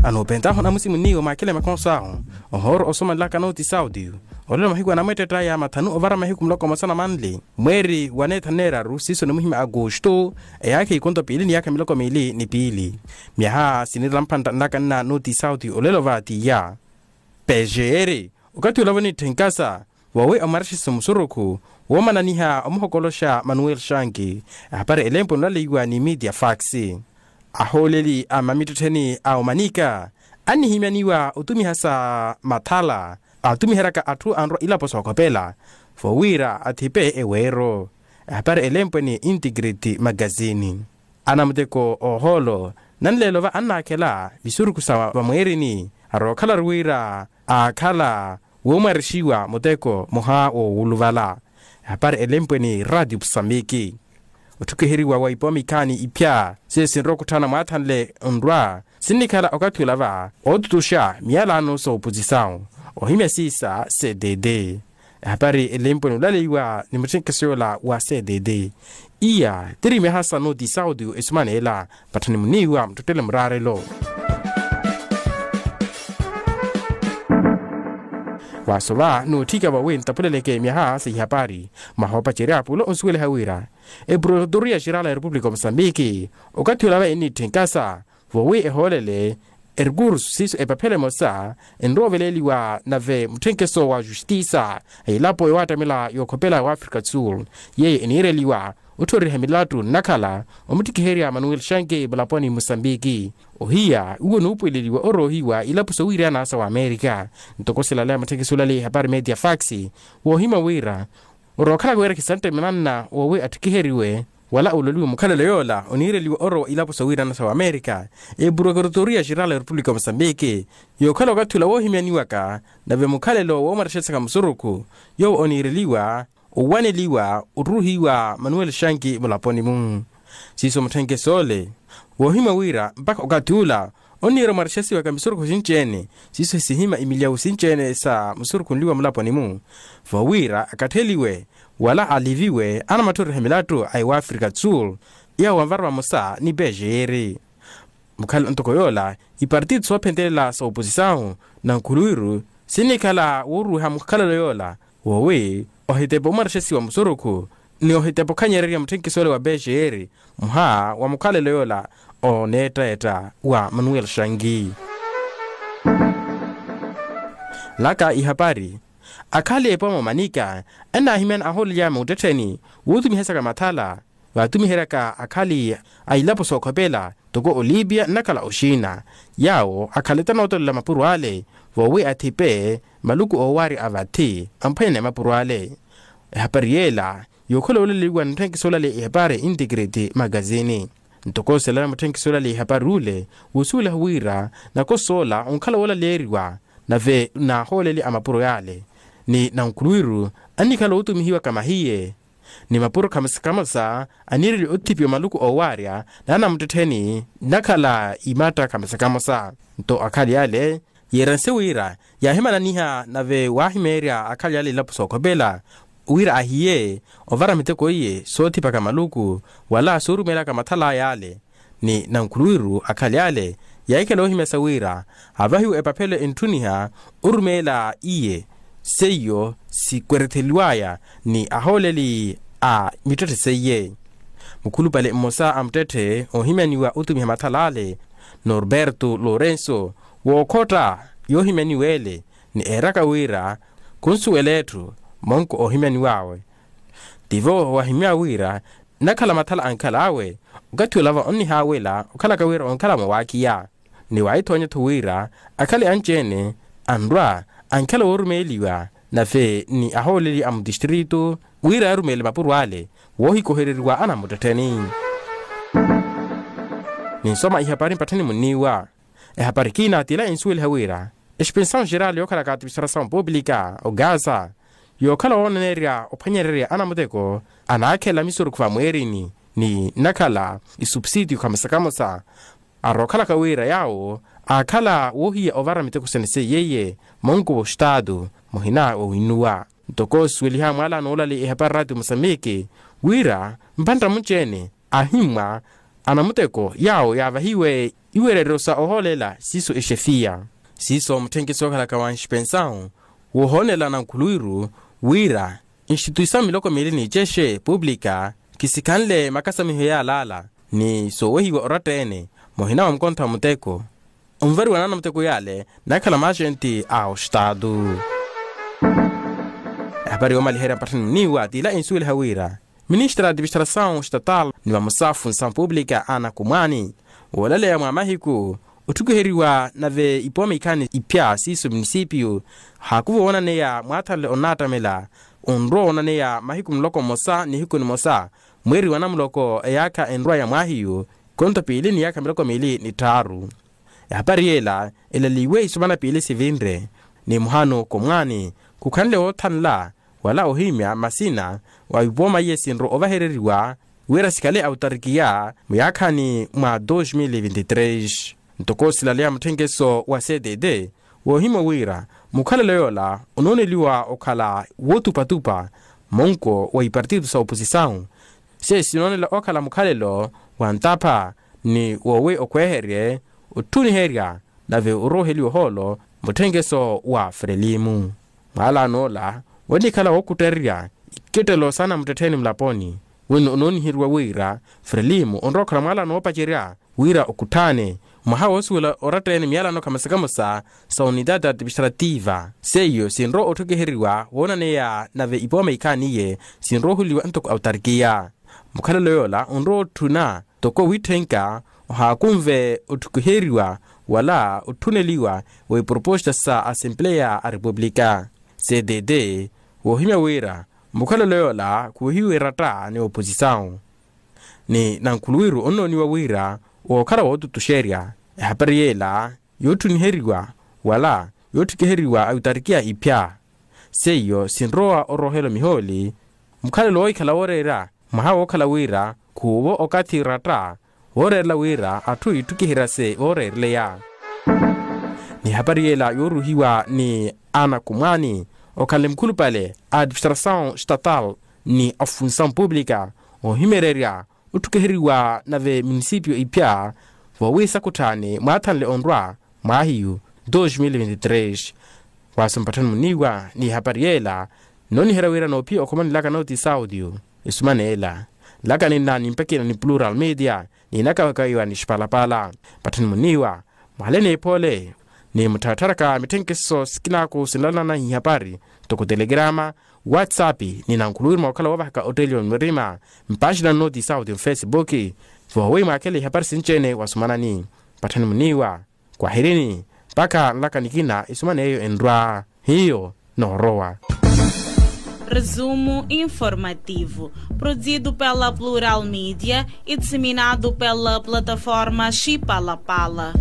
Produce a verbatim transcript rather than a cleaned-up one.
Anoopentahu anamusi muniiwa maakele makonso ahu, ohooro osomanelaka nooti sauti, olelo mahiku anamweettettaya mathanu ovara mahiku muloko mmosa na manli mweeri wa neethanu neeraru siiso nimuhimya agosto, eyaakha ikonto piili ni yaakha miloko miili ni piili. Myaha siniira mpantta nlaka nna nooti sauti olelo va tiya. Pejeeri okathi olavo nitthinkasa, voowi omwarexesi musurukhu woomananiha omuhokoloxa manuel shanki. Ehapari elempwe nolaleiwa ni media fax. Ahooleli a mamittettheni a omanika annihimyaniwa otumiha sa mathala atumiheryaka atthu anrwa ilapo sookhopela, voowiira athipe eweero. Ehapari elempwe ni integrity magazini. Anamuteko oohoolo nanleelo va annaakhela visurukhu sa vamweerini, arookhalaru wira aakhala woomwarexiwa muteko muha woowuluvala. Ehapari elempwe ni radio musambiki. Otthukiheriwa wa ipoomikhaani iphya siyo sinrowa okutthana mwaathanle nrwa sinnikhala okathi olava ootutuxa miyalano soopusisawu ohimya siisa cdd. Ehapari elempwe nulaleiwa ni mutthenkeso yoola wa cdd. Iya tiri myaha sa nooti sauti esumaneela. Patthani muniiwa muttottele muraarelo. Waasova nootthika vawe ntapuleleke myaha sa ihapari. Mwaha opacerya pulo onsuweliha wira eprokutoria xerala ya repupulika o musambiki okathi olava ennitthenkasa voowi ehoolele erikurusu siiso epaphelo emosa enrooveleeliwa nave mutthenkeso wa justisa a elapo yoowattamela yookhopela wa afrika do sul, yeeyo eniireliwa otthoriha milattu nnakhala omuttikiherya manuel shanke mulaponi musambiki. Ohiya uwo nuupweleliwa oroohiwa ilapo sowiirana sa wamerika. Ntoko silaleya mutthekisi olaleya ehapari media fax woohimya wira orookhalaka wira khisanttemyananna woowi atthikiheriwe wala ololiwe mukhalelo yoola oniireliwa orowa ilapo sowiirana sa wamerika. Eprokutoria xerala ya repupulika o musambiki yookhala okathi ola woohimyaniwaka nave mukhalelo woomwarexesaka musurukhu yoowo oniireliwa owaneliwa oruuhiwa manuel shanki mulaponi-mu. Siiso mutthenkeso ole woohimya wira mpakha okathi ula onniira omwarexesiwaka misurukhu sinci-ene siiso hisihimya imilyawu sinci-ene sa musurukhu nliwa mulaponi-mu voowiira akatheliwe wala aliviwe anamatthoriha milattu a ewaafrika do sul. Yawo anvara vamosa ni pejeeri mukhala ntoko yoola ipartito soophentelela sooposisawu na nkhuluwiru sinnikhala wooruwiha mukhalelo yoola woowi ohitepa omwarexesiwa musurukhu ni ohitepa okhanyererya mutthenkeso ole wa pejeeri muha wa mukhalelo yoola oneettaetta wa manuel shangi. Laka ihapari akhali epooma omanika ennaahimyana ahoolelya muuttettheni wuutumihesaka mathala vaatumiheryaka akhali a ilapo sookhopela toko olipia nnakhala oxiina yaawo akhaleta nootolela mapuro ale voowi athipe maluku oowarya a vathi amphwanya ni mapuro ale. Ehapari yeela yookhola wooleliwa ni mutthenkeso olale ehapari integrity magazini. Ntoko oselana mutthenkeso olale ehapari ule wuusuweliha wira nakosoola onkhala woolaleeriwa nave naahooleli a mapuro yaale ni nankhuluwiru annikhala ootumihiwaka mahiye ni mapuro khamosa khamosa aniireliwa othipiwa maluku oowarya na anamuttettheni nnakhala imatta khamosa khamosa. Nto akhali ale yeeranse wira yaahimananiha nave waahimeerya akhali ale ilapo sookhopela wira ahiye ovara miteko iye soothipaka maluku wala soorumeelaka mathal'aya ale ni nankhuluwiru akhali ale yaahikhala oohimyasa wira avahiwe epaphelo entthuniha orumeela iye seiyo sikweretheliw'aya ni ahooleli a mittetthe seiye. Mukhulupale mmosa a muttetthe oohimyaniwa otumiha mathal'ale norberto lourenso wookhotta yoohimyaniwa ele ni eeraka wira khunsuwela etthu monko oohimyaniw'awe. Tivo wahimya wira nnakhala mathala ankhal'awe okathi olava onnihaawela okhalaka wira onkhala mwawaakiya ni waahithoonya-tho wira akhale anci-ene anrwa ankhala woorumeeliwa nave ni ahooleli a mutistrito wira arumeele mapuro ale woohikohereriwa anamuttettheni. Ninsoma ihapari mpatthani munniiwa ehapari ekina t'ila ensuweliha wira expensawu xerali yookhalaka atimisarasawu pupilika ogaza yookhala wooneneerya ophwanyererya anamuteko anaakhela misurukhu vamweerini ni nnakhala isupsitiyo khamosa khamosa arookhalaka wira yaawo aakhala woohiya ovara miteko sene seiyeiye monkuva ostaatu muhina wowinnuwa. Ntoko osuweliha mwaala noolaleya ehapari raatiyo musambiki wira mpantta munci-ene ahimmwa anamuteko yaawo yaavahiwe iwereryo sa ohoolela siiso exefiya. Siiso mutthenke sookhalaka wa nxipensawu woohoonela nankhuluwiru wira instituyisao miloko miili ni cexe pupulika kisikhanle makasamiho yaalaala ni soowehiwa oratta-ene muhina wa mukontho wa muteko onvariwa na anamuteko yaale nakhala maaxenti a ostaatu. Ehapari yoomaliherya mpatthani muniiwa t'ila ensuweliha wira ministra a tipistasawu statala ni vamosafu nsamu pupulika ana kumwaani woolaleya mwa mahiku otthukiheriwa nave ipooma ikhaani iphya siiso munisipiyu haakuva woonaneya mwaathanle onnaattamela onrowa woonaneya mahiku muloko mmosa nihiku nimosa mweeri wa namuloko eyaakha enrwa ya mwaahiyu konto piili ni yaakha miloko miili ni tthaaru. Ehapari yeela elaliwe isumana piili sivinre ni muhano khumwaani khukhanle woothanla wala ohimya masina wa ipooma iye sinro ovahereriwa wira sikhale autarikiya muyaakhaani mwa dos mil vinti tres. Ntoko silaleya mutthenkeso wa cdd woohimya wira mukhalelo yoola onooneliwa okhala wootupatupa monko wa ipartitu sa oposisawu se sinoonela okhala mukhalelo wa ntapha ni wowi okhweherye otthuniherya nave orooheliwa ohoolo mutthenkeso wa frelimu. Mwaalano ola wonikhala wookuttererya ikettelo saana muttettheeni mulaponi wino onooniheriwa wira frelimu onrowa okhala mwaalano woopacerya wira okutthane mwaha woosuwela oratta-ene miyalano khamosa khamosa sa unitati atipistrativa seiyo sinrowa otthukiheriwa woonaneya nave ipooma ikhaani iye sinrowa ohuliwa ntoko autarikiya. Mukhalelo yoola onrowa otthuna toko witthenka ohaakunve otthukiheriwa wala otthuneliwa wa iproposta sa asempleya a repupulika cdd woohimya wira mukhalelo yoola khuhiwe eratta ni oposisawu ni nankhuluwiru onnooniwa wira wookhala wootutuxerya ehapari yeela yootthuniheriwa wala yootthukiheriwa ayutarikiya iphya seiyo sinrowa oroohela omihooli mukhalelo woohikhala wooreera mwaha wookhala wira khuuvo okathi ratta wooreerela wira atthu itthukiherya se ooreereleya. Ni hapari yeela yooruhiwa ni ana khumwaani okhanle mukhulupale a admistrasawu statal ni afunsawu pupulika oohimeererya otthukiheriwa nave munisipiyo iphya voowiisa khutthaani mwaathanle onrwa mwaahiyu dos mil vinti tres. Waaso mpatthani muniiwa ni hapari yeela nnooniherya wira noophiya okhomanelaka nooti saudio. Esumana ela nlaka ninna nimpekina ni plural media niinakawakawiwa ni xipalapala. Mpatthani muniiwa mwale n'ephoole ni muttharatharaka mitthenkeso sikinaaku sinlalanana ihapari ntoko telegrama whatsapp ni nankhuluwiru mwa okhala woovahaka ottelio ni mirima mpaaxina nnooti saudio mfesibuki voowi mwaakhele ihapari sinci-ene wasumanani. Mpatthani muniiwa kwahirini mpakha nlaka nikina isuman'eyo enrwa hiyo noorowa. Resumo informativo produzido pela plural media e disseminado pela plataforma xipalapala.